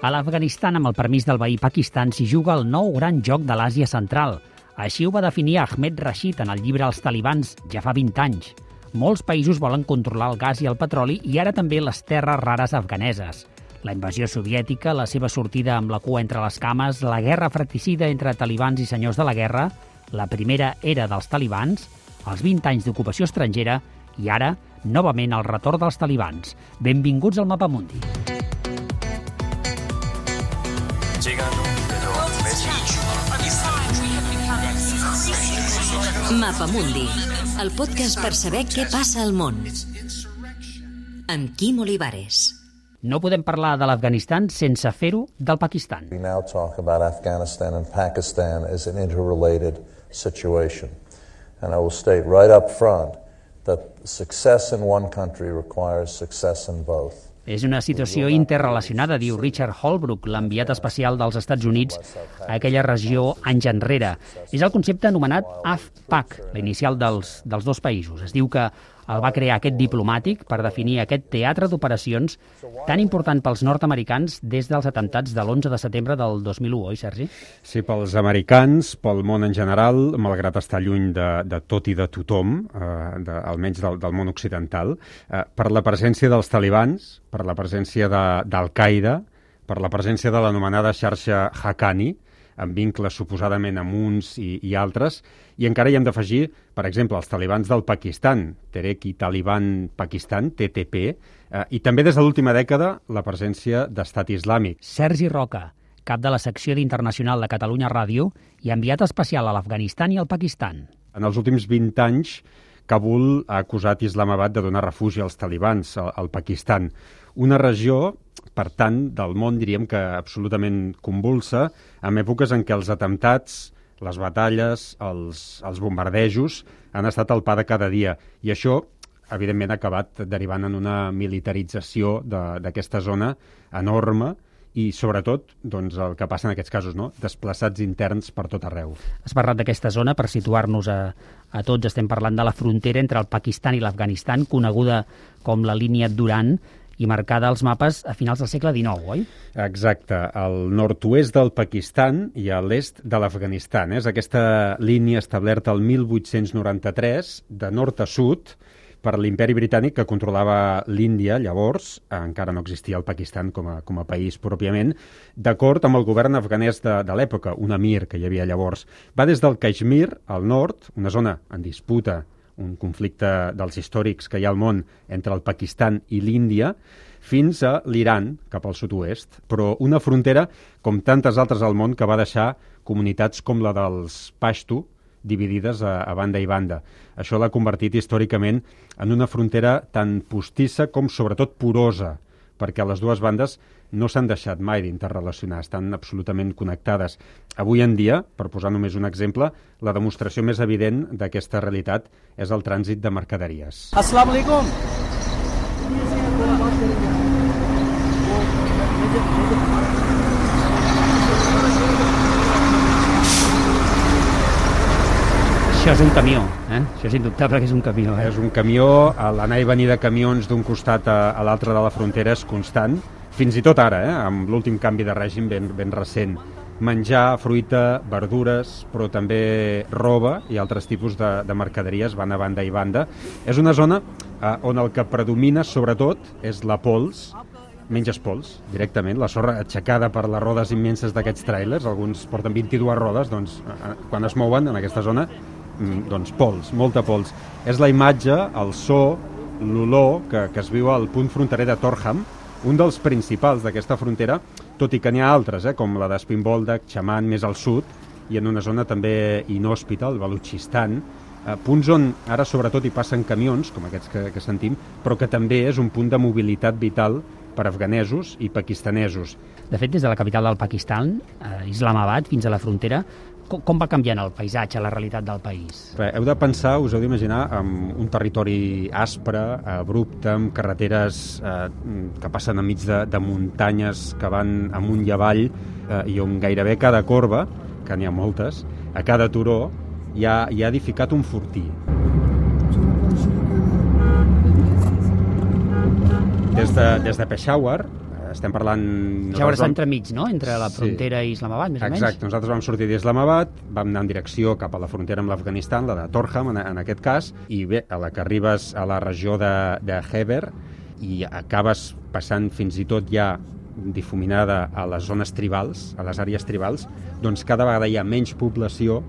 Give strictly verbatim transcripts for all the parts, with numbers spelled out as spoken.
A l'Afganistan, amb el permís del veí Pakistan, s'hi juga el nou gran joc de l'Àsia Central. Així ho va definir Ahmed Rashid en el llibre Els talibans, ja fa vint anys. Molts països volen controlar el gas i el petroli i ara també les terres rares afganeses. La invasió soviètica, la seva sortida amb la cua entre les cames, la guerra fratricida entre talibans i senyors de la guerra, la primera era dels talibans, els vint anys d'ocupació estrangera i ara, novament, el retorn dels talibans. Benvinguts al Mapamundi. Mapamundi, el podcast per saber què passa al món. Amb Quim Olivares. No podem parlar de l'Afganistan sense fer-ho del Pakistan. We now talk about Afghanistan and Pakistan as an interrelated situation. And I will state right up front that success in one country requires success in both. És una situació interrelacionada, diu Richard Holbrooke, l'enviat especial dels Estats Units a aquella regió anys enrere. És el concepte anomenat A F P A C, l'inicial dels, dels dos països. Es diu que el va crear aquest diplomàtic per definir aquest teatre d'operacions tan important pels nord-americans des dels atemptats de l'onze de setembre del dos mil u, oi, Sergi? Sí, pels americans, pel món en general, malgrat estar lluny de, de tot i de tothom, eh, de, almenys del, del món occidental, eh, per la presència dels talibans, per la presència d'Al-Qaeda, per la presència de l'anomenada xarxa Haqqani, amb vincles suposadament amb uns i, i altres, i encara hi hem d'afegir, per exemple, els talibans del Pakistan, Tehrik-i-Taliban Pakistan, T T P, eh, i també des de l'última dècada la presència d'Estat Islàmic. Sergi Roca, cap de la secció d'Internacional de Catalunya Ràdio i enviat especial a l'Afganistan i al Pakistan. En els últims vint anys, Kabul ha acusat Islamabad de donar refugi als talibans al, al Pakistan, una regió, per tant, del món, diríem que absolutament convulsa, en èpoques en què els atemptats, les batalles, els, els bombardejos han estat el pa de cada dia. I això, evidentment, ha acabat derivant en una militarització d'aquesta zona enorme i, sobretot, doncs, el que passa en aquests casos, no? Desplaçats interns per tot arreu. Has parlat d'aquesta zona, per situar-nos a, a tots, estem parlant de la frontera entre el Pakistan i l'Afganistan, coneguda com la línia Durand, i marcada als mapes a finals del segle dinou, oi? Exacte, al nord-oest del Pakistan i a l'est de l'Afganistan. És aquesta línia establerta el mil vuit-cents noranta-tres, de nord a sud, per l'imperi britànic que controlava l'Índia, llavors, encara no existia el Pakistan com a, com a país pròpiament, d'acord amb el govern afganès de, de l'època, un emir que hi havia llavors. Va des del Caixmir, al nord, una zona en disputa, un conflicte dels històrics que hi ha al món entre el Pakistan i l'Índia, fins a l'Iran, cap al sud-oest, però una frontera, com tantes altres al món, que va deixar comunitats com la dels Pashto, dividides a, a banda i banda. Això l'ha convertit històricament en una frontera tan postissa com sobretot porosa, perquè les dues bandes no s'han deixat mai d'interrelacionar, estan absolutament connectades. Avui en dia, per posar només un exemple, la demostració més evident d'aquesta realitat és el trànsit de mercaderies. Assalamu alaikum. Això és un camió, eh? Això és indubtable que és un camió. Eh? És un camió, l'anar i venir de camions d'un costat a, a l'altre de la frontera és constant, fins i tot ara, eh? Amb l'últim canvi de règim ben, ben recent. Menjar, fruita, verdures, però també roba i altres tipus de, de mercaderies van a banda i banda. És una zona eh, on el que predomina, sobretot, és la pols. Menges pols, directament, la sorra aixecada per les rodes immenses d'aquests tràilers, alguns porten vint-i-dues rodes, doncs, eh, quan es mouen en aquesta zona, doncs pols, molta pols. És la imatge, el so, l'olor que, que es viu al punt fronterer de Torkham, un dels principals d'aquesta frontera, tot i que n'hi ha altres, eh, com la d'Spinboldak, Chaman, més al sud, i en una zona també inhòspita, el Balutxistan, eh, punts on ara sobretot hi passen camions, com aquests que, que sentim, però que també és un punt de mobilitat vital per afganesos i pakistanesos. De fet, des de la capital del Pakistan, eh, Islamabad, fins a la frontera, com, com va canviant el paisatge, la realitat del país? Bé, heu de pensar, us heu d'imaginar, amb un territori aspre, abrupte, amb carreteres eh, que passen enmig de, de muntanyes que van amunt i avall, eh, i on gairebé cada corba, que n'hi ha moltes, a cada turó hi ha, hi ha edificat un fortí. Des de, des de Peshawar, estem parlant... Ja està entremig, no?, entre la frontera sí. i Islamabad, més o menys. Exacte, nosaltres vam sortir d'Islamabad, vam anar en direcció cap a la frontera amb l'Afganistan, la de Torkham, en, en aquest cas, i bé, a la que arribes a la regió de, de Khyber i acabes passant fins i tot ja difuminada a les zones tribals, a les àrees tribals, doncs cada vegada hi ha menys població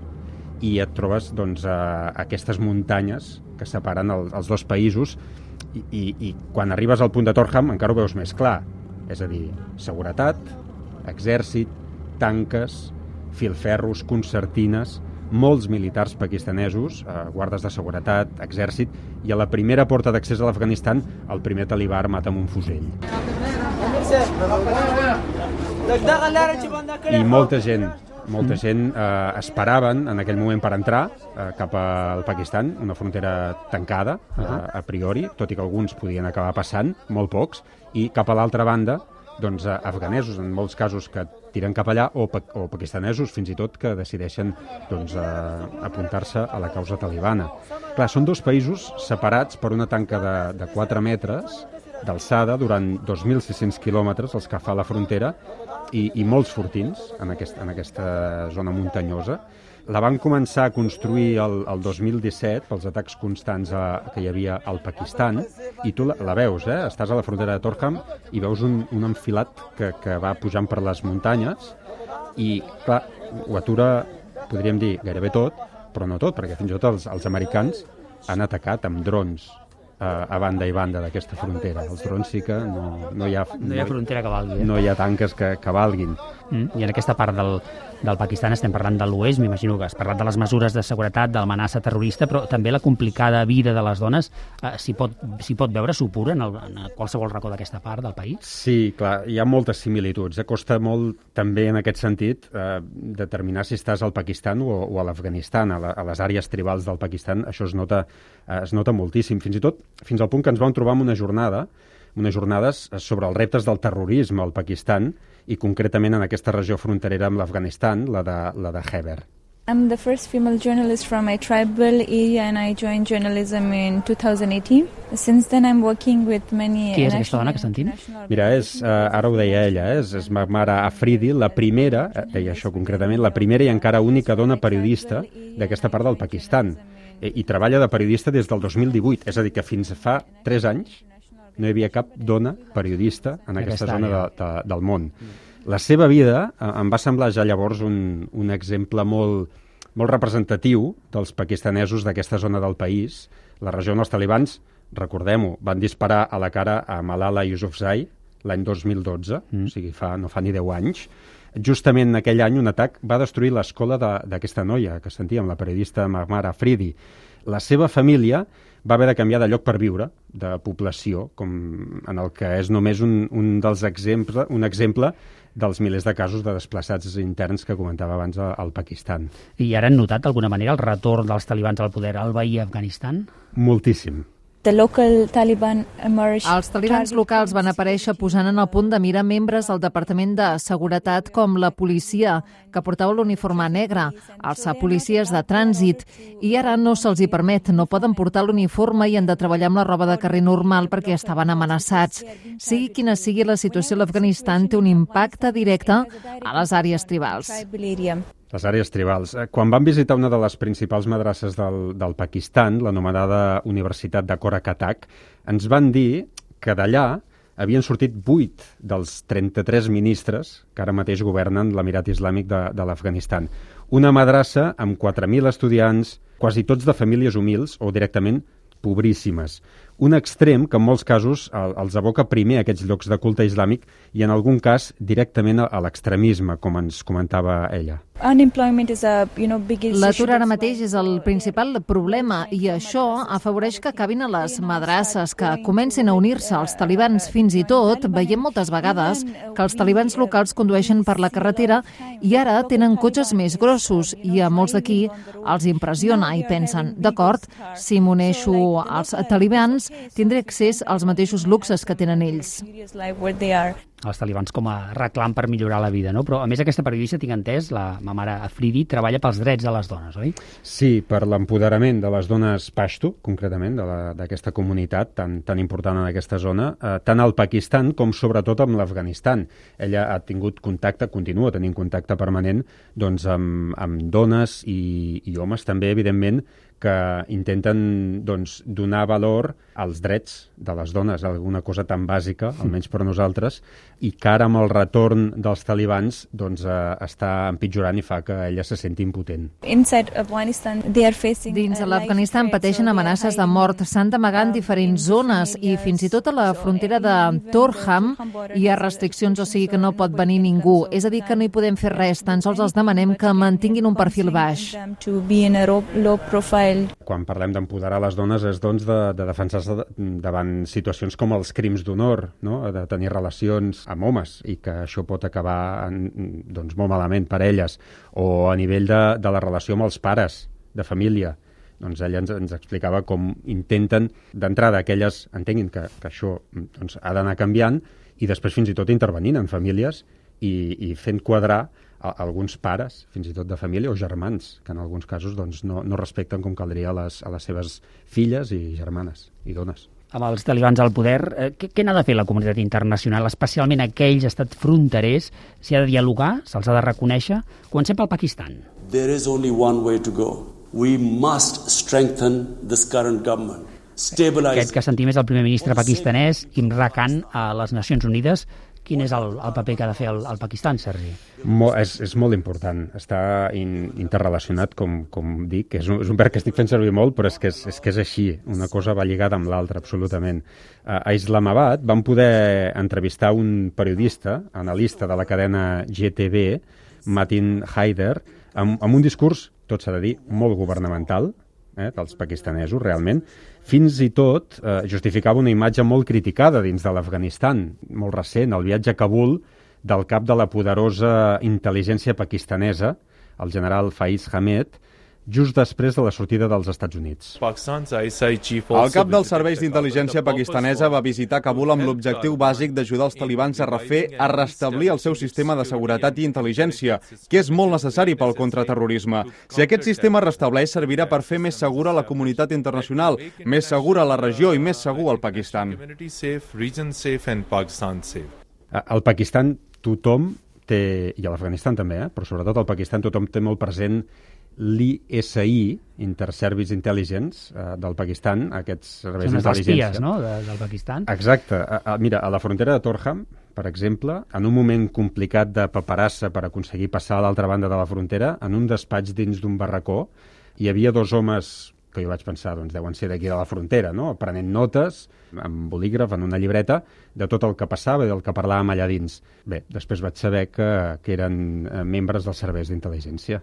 i et trobes doncs, a aquestes muntanyes que separen el, els dos països i, i, i quan arribes al punt de Torkham encara ho veus més clar, és a dir, seguretat, exèrcit, tanques, filferros, concertines, molts militars pakistanesos, eh, guardes de seguretat, exèrcit, i a la primera porta d'accés a l'Afganistan el primer talibà armat amb un fusell. I molta gent Molta gent eh, esperaven en aquell moment per entrar eh, cap al Pakistan, una frontera tancada eh, a priori, tot i que alguns podien acabar passant, molt pocs, i cap a l'altra banda, doncs, eh, afganesos, en molts casos que tiren cap allà, o, pa o pakistanesos, fins i tot, que decideixen doncs, eh, apuntar-se a la causa talibana. Clar, són dos països separats per una tanca de, de quatre metres d'alçada durant dos mil sis-cents quilòmetres, els que fa la frontera, i, i molts fortins en, aquest, en aquesta zona muntanyosa. La van començar a construir el, el dos mil disset pels atacs constants a, que hi havia al Pakistan, i tu la, la veus, eh? Estàs a la frontera de Torkham i veus un, un enfilat que, que va pujant per les muntanyes i, clar, ho atura, podríem dir, gairebé tot, però no tot, perquè fins i tot els, els americans han atacat amb drons a banda i banda d'aquesta frontera. Els drons sí que no, no, hi, ha, no hi ha frontera que valgui. Eh? No hi ha tanques que, que valguin. Mm. I en aquesta part del, del Pakistan estem parlant de l'oest, m'imagino que has parlat de les mesures de seguretat, de l'amenaça terrorista, però també la complicada vida de les dones eh, s'hi pot, s'hi pot veure, s'opura en, el, en qualsevol racó d'aquesta part del país? Sí, clar, hi ha moltes similituds. Eh? Costa molt també en aquest sentit eh, determinar si estàs al Pakistan o, o a l'Afganistan, a, la, a les àrees tribals del Pakistan. Això es nota, eh, es nota moltíssim. Fins i tot fins al punt que ens vam trobar en una jornada, unes jornades sobre els reptes del terrorisme al Pakistan i concretament en aquesta regió fronterera amb l'Afganistan, la de, la de Khyber. I'm the first female journalist from a tribal area and I joined journalism in two thousand eighteen. Since then I'm working with many... Qui és aquesta dona que sentim? Mira, és, uh, ara ho deia ella, eh? és, és Mahmara Afridi, la primera, deia això concretament, la primera i encara única dona periodista d'aquesta part del Pakistan. I, i treballa de periodista des del dos mil divuit, és a dir, que fins fa tres anys no hi havia cap dona periodista en aquesta, aquesta zona de, de, del món. La seva vida eh, em va semblar ja llavors un, un exemple molt, molt representatiu dels pakistanesos d'aquesta zona del país. La regió on els talibans, recordem-ho, van disparar a la cara a Malala Yousafzai l'any dos mil dotze, mm. o sigui, fa, no fa ni deu anys. Justament en aquell any un atac va destruir l'escola d'aquesta noia que sentíem, la periodista Mahmara Afridi. La seva família va haver de canviar de lloc per viure, de població, com en el que és només un, un dels exemples, un exemple dels milers de casos de desplaçats interns que comentava abans al Pakistan. I ara han notat d'alguna manera el retorn dels talibans al poder al veí Afganistan? The Moltíssim. local Taliban emerged. Els talibans locals van aparèixer posant en el punt de mira membres del Departament de Seguretat com la policia, que portava l'uniforme negre, els policies de trànsit, i ara no se'ls hi permet, no poden portar l'uniforme i han de treballar amb la roba de carrer normal perquè estaven amenaçats. Sigui quina sigui la situació a l'Afganistan, té un impacte directe a les àrees tribals. Les àrees tribals. Quan vam visitar una de les principals madrasses del, del Pakistan, l'anomenada Universitat de Kora-Katak, ens van dir que d'allà havien sortit vuit dels trenta-tres ministres que ara mateix governen l'Emirat Islàmic de, de l'Afganistan. Una madrassa amb quatre mil estudiants, quasi tots de famílies humils o directament pobríssimes. Un extrem que en molts casos els aboca primer a aquests llocs de culte islàmic i en algun cas directament a l'extremisme, com ens comentava ella. L'atur ara mateix és el principal problema i això afavoreix que acabin a les madrasses, que comencin a unir-se als talibans. Fins i tot veiem moltes vegades que els talibans locals condueixen per la carretera i ara tenen cotxes més grossos i a molts d'aquí els impressiona i pensen, d'acord, si m'uneixo als talibans tindré accés als mateixos luxes que tenen ells. els talibans com a reclam per millorar la vida, no? Però, a més, aquesta periodista, tinc entès, la ma mare Afridi, treballa pels drets de les dones, oi? Sí, per l'empoderament de les dones Pashto, concretament, d'aquesta comunitat tan, tan important en aquesta zona, eh, tant al Pakistan com sobretot amb l'Afganistan. Ella ha tingut contacte, continua tenint contacte permanent doncs, amb, amb dones i, i homes també, evidentment, que intenten doncs, donar valor als drets de les dones, alguna cosa tan bàsica, almenys per nosaltres, i que ara amb el retorn dels talibans doncs, eh, està empitjorant i fa que ella se senti impotent. Dins de l'Afganistan pateixen amenaces de mort, s'han d'amagar en diferents zones i fins i tot a la frontera de Torkham hi ha restriccions, o sigui que no pot venir ningú. És a dir, que no hi podem fer res, tan sols els demanem que mantinguin un perfil baix. Quan parlem d'empoderar les dones és doncs, de, de defensar-se davant situacions com els crims d'honor, no? De tenir relacions amb homes i que això pot acabar en, doncs, molt malament per elles, o a nivell de, de la relació amb els pares de família. Doncs ella ens, ens explicava com intenten d'entrada que elles entenguin que, que això doncs, ha d'anar canviant i després fins i tot intervenint en famílies i, i fent quadrar a alguns pares, fins i tot de família, o germans, que en alguns casos doncs, no, no respecten com caldria a les, a les seves filles i germanes i dones. Amb els talibans al poder, eh, què, què n'ha de fer la comunitat internacional, especialment aquells estats fronterers? S'hi ha de dialogar? Se'ls ha de reconèixer? Comencem pel Pakistan. There is only one way to go. We must strengthen this current government. Aquest que sentim és el primer ministre pakistanès, Imran Khan, a les Nacions Unides. Quin és el, el paper que ha de fer el, el Pakistan, Sergi? Mo, és, és molt important. Està in, interrelacionat, com, com dic. És un, és un verb que estic fent servir molt, però és que és, és que és així. Una cosa va lligada amb l'altra, absolutament. A Islamabad vam poder entrevistar un periodista, analista de la cadena G T V, Matin Haider, amb, amb un discurs, tot s'ha de dir, molt governamental, eh, dels pakistanesos, realment. Fins i tot eh, justificava una imatge molt criticada dins de l'Afganistan, molt recent, el viatge a Kabul del cap de la poderosa intel·ligència pakistanesa, el general Faiz Hamed, just després de la sortida dels Estats Units. El cap dels serveis d'intel·ligència pakistanesa va visitar Kabul amb l'objectiu bàsic d'ajudar els talibans a refer, a restablir el seu sistema de seguretat i intel·ligència, que és molt necessari pel contraterrorisme. Si aquest sistema restableix, servirà per fer més segura la comunitat internacional, més segura la regió i més segur el Pakistan. Al Pakistan tothom té, i a l'Afganistan també, eh? Però sobretot al Pakistan tothom té molt present l'I S I, Inter-Service Intelligence, eh, del Pakistan, aquests serveis d'intel·ligència. Són els espies, no?, de, del Pakistan. Exacte. A, a, mira, a la frontera de Torkham, per exemple, en un moment complicat de paperassa per aconseguir passar a l'altra banda de la frontera, en un despatx dins d'un barracó, hi havia dos homes que jo vaig pensar, doncs deuen ser d'aquí de la frontera, no?, prenent notes, amb bolígraf, en una llibreta, de tot el que passava i del que parlàvem allà dins. Bé, després vaig saber que, que eren membres dels serveis d'intel·ligència.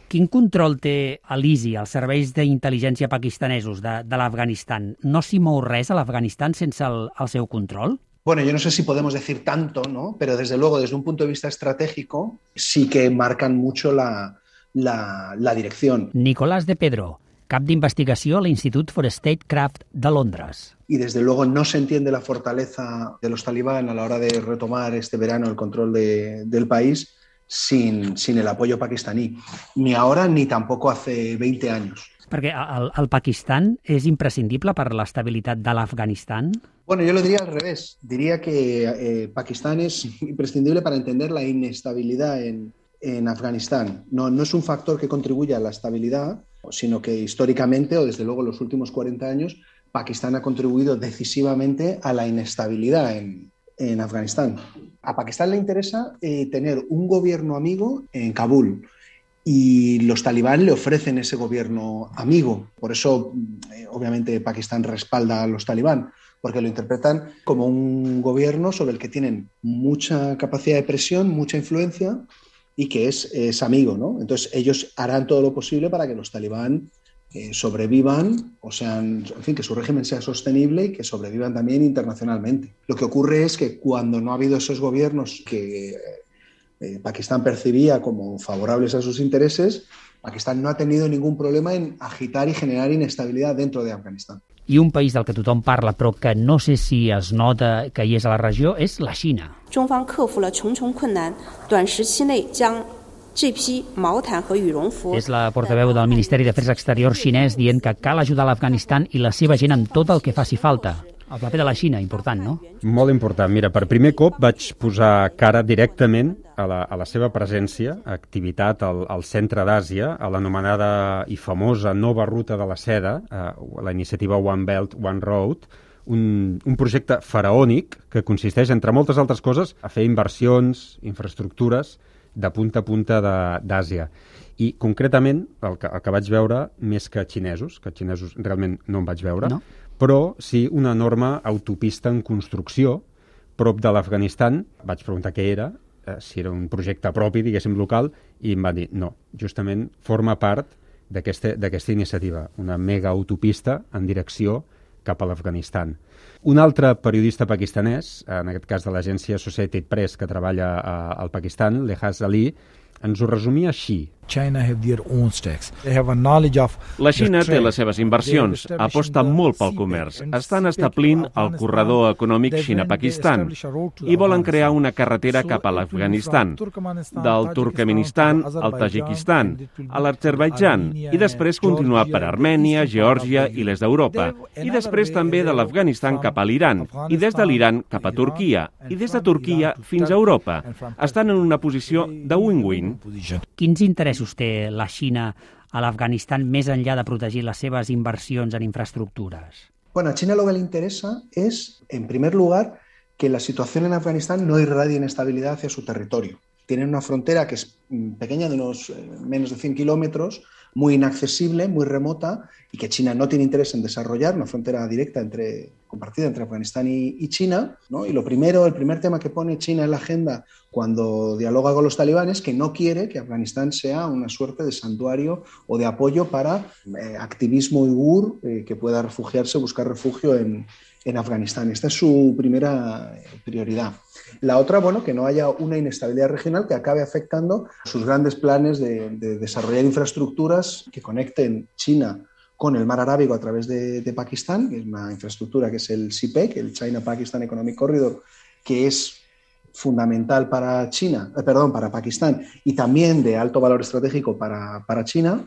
Quin control té l'I S I, els serveis d'intel·ligència pakistanesos de, de l'Afganistan? No s'hi mou res a l'Afganistan sense el, el seu control? Bueno, yo no sé si podemos decir tanto, ¿no? Pero desde luego, desde un punto de vista estratégico, sí que marcan mucho la, la, la dirección. Nicolás de Pedro, cap d'investigació a l'Institut for Statecraft de Londres. Y desde luego no se entiende la fortaleza de los talibán a la hora de retomar este verano el control de, del país sin, sin el apoyo pakistaní, ni ahora ni tampoco hace veinte años. Perquè el, el Pakistan és imprescindible per l'estabilitat de l'Afganistan? Bueno, yo lo diría al revés. Diría que eh, Pakistán es imprescindible para entender la inestabilidad en, en Afganistán. No, no es un factor que contribuya a la estabilidad, sino que históricamente, o desde luego en los últimos cuarenta años, Pakistán ha contribuido decisivamente a la inestabilidad en, en Afganistán. A Pakistán le interesa eh, tener un gobierno amigo en Kabul y los talibán le ofrecen ese gobierno amigo. Por eso, eh, obviamente, Pakistán respalda a los talibán, porque lo interpretan como un gobierno sobre el que tienen mucha capacidad de presión, mucha influencia y que es, es amigo, ¿no? Entonces, ellos harán todo lo posible para que los talibán eh, sobrevivan, o sean, en fin, que su régimen sea sostenible y que sobrevivan también internacionalmente. Lo que ocurre es que cuando no ha habido esos gobiernos que eh, Pakistán percibía como favorables a sus intereses, Pakistán no ha tenido ningún problema en agitar y generar inestabilidad dentro de Afganistán. I un país del que tothom parla, però que no sé si es nota que hi és a la regió, és la Xina. És la portaveu del Ministeri d'Afers Exteriors xinès dient que cal ajudar l'Afganistan i la seva gent en tot el que faci falta. El paper de la Xina, important, no? Molt important. Mira, per primer cop vaig posar cara directament a la, a la seva presència, activitat al, al centre d'Àsia, a l'anomenada i famosa nova ruta de la seda, eh, la iniciativa One Belt, One Road, un, un projecte faraònic que consisteix, entre moltes altres coses, a fer inversions, infraestructures de punta a punta d'Àsia. I concretament, el que, el que vaig veure, més que xinesos, que xinesos realment no en vaig veure, no? Però sí una enorme autopista en construcció prop de l'Afganistan. Vaig preguntar què era, eh, si era un projecte propi, diguéssim, local, i em va dir no, justament forma part d'aquesta iniciativa, una mega autopista en direcció cap a l'Afganistan. Un altre periodista pakistanès, en aquest cas de l'agència Associated Press, que treballa a, al Pakistan, Lehaz Ali, ens ho resumia així. La Xina té les seves inversions, aposta molt pel comerç. Estan establint el corredor econòmic Xina-Pakistan i volen crear una carretera cap a l'Afganistan, del Turkmenistan al Tajikistan, a l'Azerbaidjan, i després continuar per Armènia, Geòrgia i l'est d'Europa, i després també de l'Afganistan cap a l'Iran, i des de l'Iran cap a Turquia, i des de Turquia fins a Europa. Estan en una posició de win-win. Quins interessos té la Xina a l'Afganistan més enllà de protegir les seves inversions en infraestructuras? Bueno, a China lo que le interesa es, en primer lugar, que la situación en Afganistán no irradie inestabilidad hacia su territorio. Tienen una frontera que es pequeña, de unos eh, menos de cien kilómetros, muy inaccesible, muy remota, y que China no tiene interés en desarrollar, una frontera directa entre, compartida entre Afganistán y, y China, ¿no? Y lo primero, el primer tema que pone China en la agenda cuando dialoga con los talibanes es que no quiere que Afganistán sea una suerte de santuario o de apoyo para eh, activismo uigur eh, que pueda refugiarse, buscar refugio en, en Afganistán. Esta es su primera prioridad. La otra, bueno, que no haya una inestabilidad regional que acabe afectando sus grandes planes de, de desarrollar infraestructuras que conecten China con el mar Arábigo a través de, de Pakistán, que es una infraestructura que es el C P E C, el China-Pakistan Economic Corridor, que es fundamental para China, eh, perdón, para Pakistán y también de alto valor estratégico para, para China.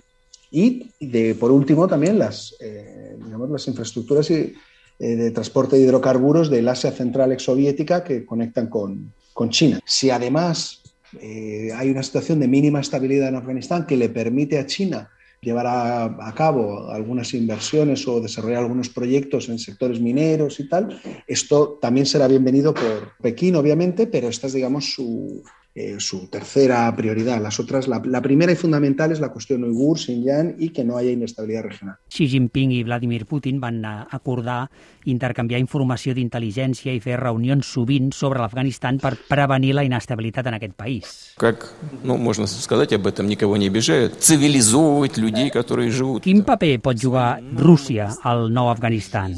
Y de, por último también las, eh, digamos, las infraestructuras y, eh, de transporte de hidrocarburos del Asia Central exsoviética que conectan con, con China. Si además eh, hay una situación de mínima estabilidad en Afganistán que le permite a China llevar a, a cabo algunas inversiones o desarrollar algunos proyectos en sectores mineros y tal, esto también será bienvenido por Pekín, obviamente, pero esta es, digamos, su, eh, su tercera prioridad. Las otras, la, la primera y fundamental es la cuestión uigur, Xinjiang y que no haya inestabilidad regional. Xi Jinping i Vladimir Putin van acordar intercanviar informació d'intel·ligència i fer reunions sovint sobre l'Afganistan per prevenir la inestabilitat en aquest país. Как, ну, можно сказать об этом, никого не обижают, цивилизовывать людей, которые живут. Quin paper pot jugar Rússia al nou Afganistan?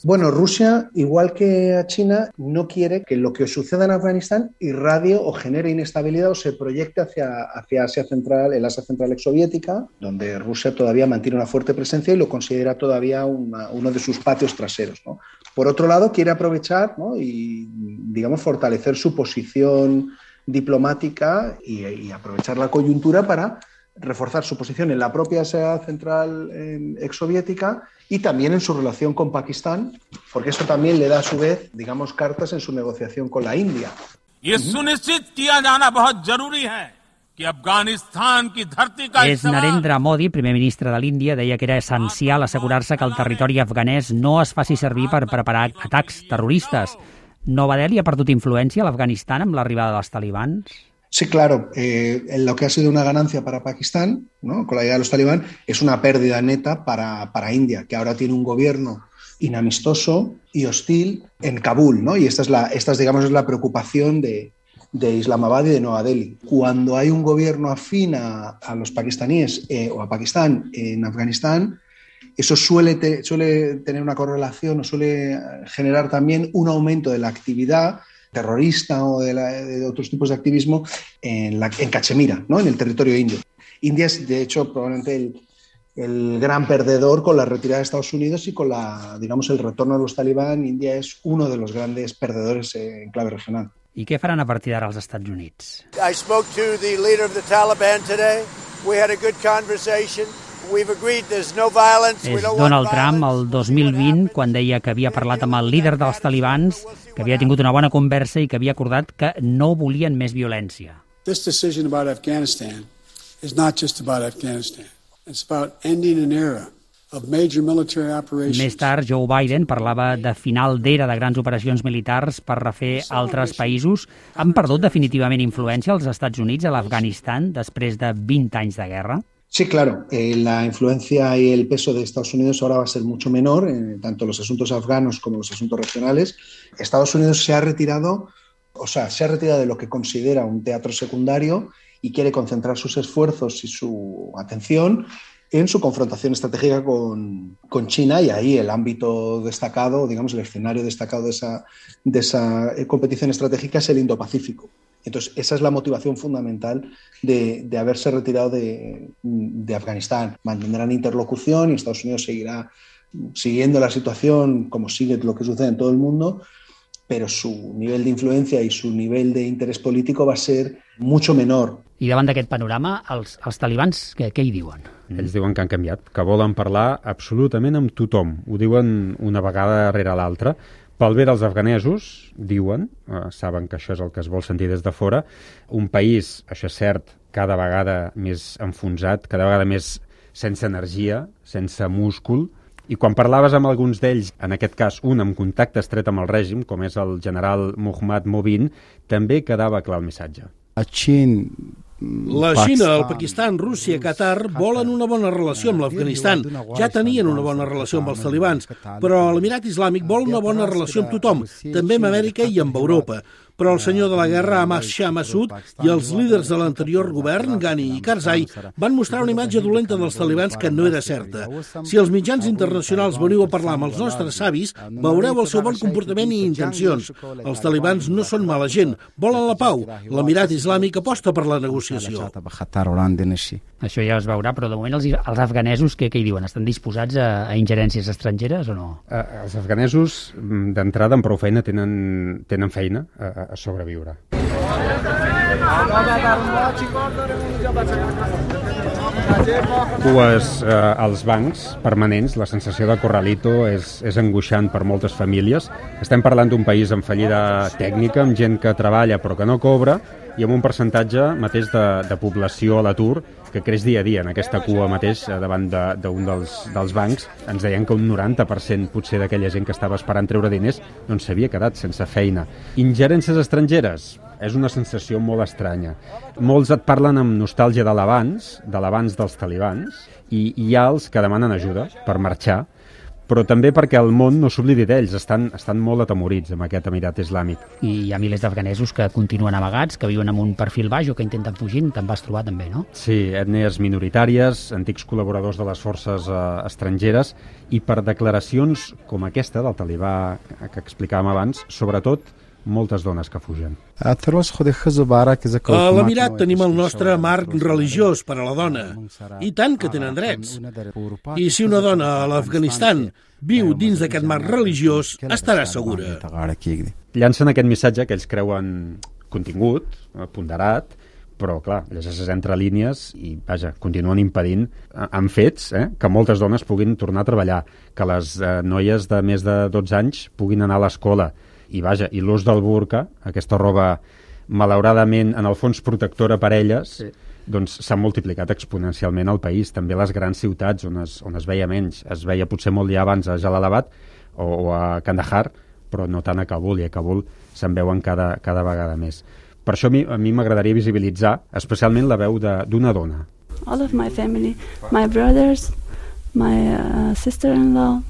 Bueno, Rusia, igual que a China, no quiere que lo que suceda en Afganistán irradie o genere inestabilidad o se proyecte hacia, hacia Asia Central, el Asia Central exsoviética, donde Rusia todavía mantiene una fuerte presencia y lo considera todavía una, uno de sus patios traseros, ¿no? Por otro lado, quiere aprovechar, ¿no? y, digamos, fortalecer su posición diplomática y, y aprovechar la coyuntura para reforzar su posición en la propia Asia Central eh, exsoviética y también en su relación con Pakistán, porque eso también le da a su vez, digamos, cartas en su negociación con la India. És Narendra Modi, primer ministre de l'Índia, deia que era essencial assegurar-se que el territori afganès no es faci servir per preparar atacs terroristes. Nova Delhi ha perdut influència a l'Afganistan amb l'arribada dels talibans? Sí, claro, eh, lo que ha sido una ganancia para Pakistán, ¿no? Con la llegada de los talibán, es una pérdida neta para, para India, que ahora tiene un gobierno inamistoso y hostil en Kabul, ¿no? Y esta es, la, esta es, digamos, es la preocupación de, de Islamabad y de Nueva Delhi. Cuando hay un gobierno afín a, a los pakistaníes eh, o a Pakistán en Afganistán, eso suele, te, suele tener una correlación o suele generar también un aumento de la actividad terrorista o de, la, de otros tipos de activismo en, la, en Cachemira, ¿no? En el territorio indio. India es, de hecho, probablemente el, el gran perdedor con la retirada de Estados Unidos y con la, digamos, el retorno de los talibán. India es uno de los grandes perdedores en clave regional. I què faran a partir d'ara als Estats Units? I spoke to the leader of the Taliban today. We had a good conversation. We've agreed there's no violence. És Donald Trump el dos mil vint, quan deia que havia parlat amb el líder dels talibans, que havia tingut una bona conversa i que havia acordat que no volien més violència. This decision about Afghanistan is not just about Afghanistan. It's about ending an era of major military operations. Més tard, Joe Biden parlava de final d'era de grans operacions militars per refer altres països. Han perdut definitivament influència els Estats Units a l'Afganistan després de vint anys de guerra? Sí, claro. Eh, la influencia y el peso de Estados Unidos ahora va a ser mucho menor, eh, tanto en los asuntos afganos como en los asuntos regionales. Estados Unidos se ha retirado, o sea, se ha retirado de lo que considera un teatro secundario y quiere concentrar sus esfuerzos y su atención en su confrontación estratégica con, con China, y ahí el ámbito destacado, digamos, el escenario destacado de esa, de esa competición estratégica es el Indo-Pacífico. Entonces, esa es la motivación fundamental de, de haberse retirado de, de Afganistán. Mantendrán interlocución y Estados Unidos seguirá siguiendo la situación como sigue lo que sucede en todo el mundo, pero su nivel de influència i su nivell d'interès polític va ser mucho menor. I davant d'aquest panorama, els, els talibans, què, què hi diuen? Ells diuen que han canviat, que volen parlar absolutament amb tothom. Ho diuen una vegada darrere l'altra. Pel bé dels afganesos, diuen, eh, saben que això és el que es vol sentir des de fora, un país, això és cert, cada vegada més enfonsat, cada vegada més sense energia, sense múscul. I quan parlaves amb alguns d'ells, en aquest cas un amb contacte estret amb el règim, com és el general Mohammad Mobin, també quedava clar el missatge. La Xina, el Pakistan, Rússia, Qatar volen una bona relació amb l'Afganistan. Ja tenien una bona relació amb els talibans, però l'Emirat Islàmic vol una bona relació amb tothom, també amb Amèrica i amb Europa. Però el senyor de la guerra, Ahmad Shah Massoud, i els líders de l'anterior govern, Ghani i Karzai, van mostrar una imatge dolenta dels talibans que no era certa. Si els mitjans internacionals veniu a parlar amb els nostres savis, veureu el seu bon comportament i intencions. Els talibans no són mala gent, volen la pau. L'Emirat Islàmic aposta per la negociació. Això ja es veurà, però de moment els, els afganesos què, què hi diuen? Estan disposats a, a ingerències estrangeres o no? Eh, els afganesos, d'entrada, amb prou feina, tenen, tenen feina a, a sobreviure. Cues eh, als bancs permanents, la sensació de corralito és, és angoixant per moltes famílies. Estem parlant d'un país amb fallida tècnica, amb gent que treballa però que no cobra, i amb un percentatge mateix de, de població a l'atur que creix dia a dia. En aquesta cua mateix, davant d'un de, dels, dels bancs, ens deien que un noranta per cent potser d'aquella gent que estava esperant treure diners doncs s'havia quedat sense feina. Ingerències estrangeres és una sensació molt estranya. Molts et parlen amb nostàlgia de l'abans, de l'abans dels talibans, i hi ha els que demanen ajuda per marxar, però també perquè el món no s'oblidi d'ells, estan, estan molt atemorits amb aquest Emirat Islàmic. I hi ha milers d'afganesos que continuen amagats, que viuen amb un perfil baix o que intenten fugir, te'n vas trobar també, no? Sí, ètnies minoritàries, antics col·laboradors de les forces eh, estrangeres, i per declaracions com aquesta del talibà que explicàvem abans, sobretot moltes dones que fugen. A l'Emirat tenim el nostre marc religiós per a la dona, i tant que tenen drets. I si una dona a l'Afganistan viu dins d'aquest marc religiós, estarà segura. Llancen aquest missatge que ells creuen contingut, ponderat, però, clar, llegeixes entre línies i, vaja, continuen impedint amb fets eh, que moltes dones puguin tornar a treballar, que les eh, noies de més de dotze anys puguin anar a l'escola, i vaja, i l'ús del burca, aquesta roba malauradament en el fons protectora per elles, sí, doncs s'ha multiplicat exponencialment al país, també a les grans ciutats on es, on es veia menys. Es veia potser molt ja abans a Jalalabad o, o a Kandahar, però no tant a Kabul, i a Kabul se'n veuen cada, cada vegada més. Per això a mi, a mi m'agradaria visibilitzar especialment la veu d'una dona. All of my family, my brothers, my uh, sister-in-law,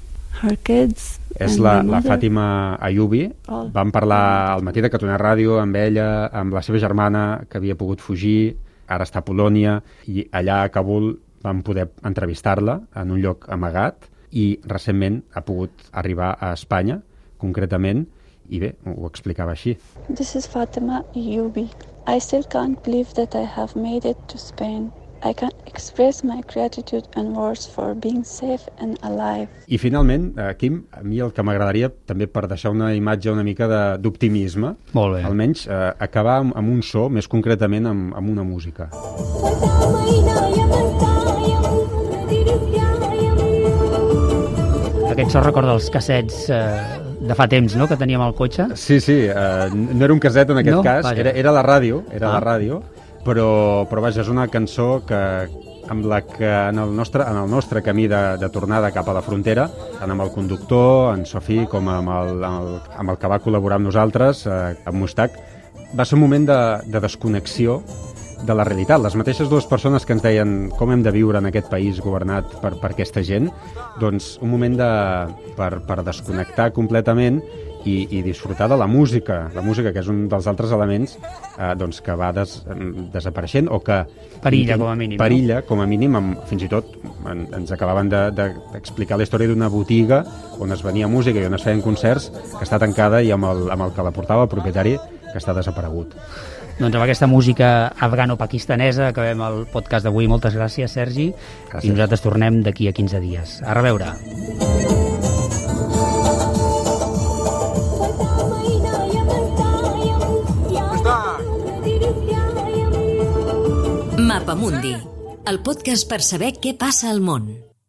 her kids. És la, la Fàtima Ayubi. Vam parlar al matí de Catalunya Ràdio amb ella, amb la seva germana, que havia pogut fugir, ara està a Polònia, i allà a Kabul vam poder entrevistar-la en un lloc amagat, i recentment ha pogut arribar a Espanya, concretament, i bé, ho explicava així. This is Fatima Ayubi. I still can't believe that I have made it to Spain. I can't express my gratitude and words for being safe and alive. I finalment, eh, Kim, a mi el que m'agradaria, també per deixar una imatge una mica de- d'optimisme, Molt bé. almenys eh, acabar amb, amb un so, més concretament amb, amb una música. Aquest so recorda els cassets eh, de fa temps, no?, que teníem al cotxe. Sí, sí, eh, no era un caset en aquest No? cas, Vaja. era, era la ràdio, era Ah. la ràdio, però, però vaja, és una cançó que, amb la que en el nostre, en el nostre camí de, de tornada cap a la frontera, tant amb el conductor, en Sofí, com amb el, amb el, amb el que va col·laborar amb nosaltres, eh, amb Mustaq, va ser un moment de, de desconnexió de la realitat. Les mateixes dues persones que ens deien com hem de viure en aquest país governat per, per aquesta gent, doncs un moment de, per, per desconnectar completament i, i disfrutar de la música, la música que és un dels altres elements eh, doncs que va des, desapareixent o que Perilla, com a mínim, no? perilla, com a mínim, amb, fins i tot en, ens acabaven de, de, d'explicar la història d'una botiga on es venia música i on es feien concerts que està tancada i amb el, amb el que la portava el propietari que està desaparegut. Doncs amb aquesta música afgano-pakistanesa acabem el podcast d'avui. Moltes gràcies, Sergi. Gràcies. I nosaltres tornem d'aquí a quinze dies. A reveure. Mapamundi, el podcast per saber què passa al món.